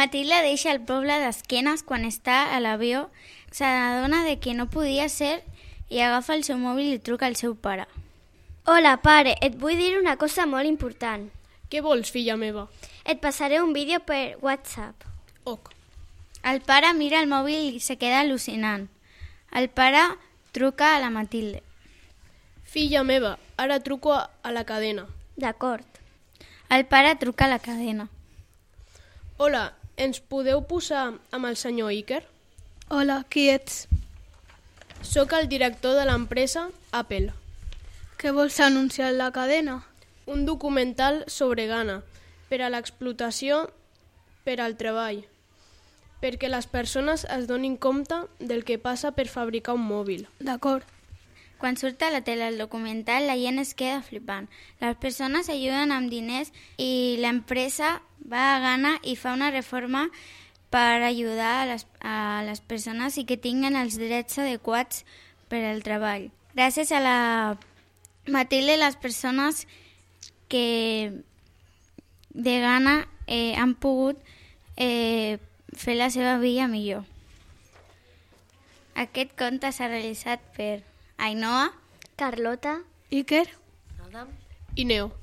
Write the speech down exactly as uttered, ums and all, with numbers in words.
Matilde deixa el poble d'esquenes quan està a l'avió, s'adona de que no podia ser i agafa el seu mòbil i truca al seu pare. Hola, pare, et vull dir una cosa molt important. Què vols, filla meva? Et passaré un vídeo per WhatsApp. Ok. El pare mira el mòbil i se queda al·lucinant. El pare truca a la Matilde. Filla meva, ara truco a la cadena. D'acord. El pare truca a la cadena. Hola, ens podeu posar amb el senyor Iker? Hola, qui ets? Soc el director de l'empresa Apple. Què vols anunciar a la cadena? Un documental sobre Ghana per a l'explotació per al treball, perquè les persones es donin compte del que passa per fabricar un mòbil. D'acord. Quan surt a la tele el documental, la gent es queda flipant. Les persones ajuden amb diners i l'empresa va a Ghana i fa una reforma per ajudar a les, a les persones i que tinguin els drets adequats per al treball. Gràcies a la Matilde, les persones que de Ghana eh, han pogut eh, fer la seva vida millor. Aquest conte s'ha realitzat per Ainhoa, Carlota, Iker I Neo.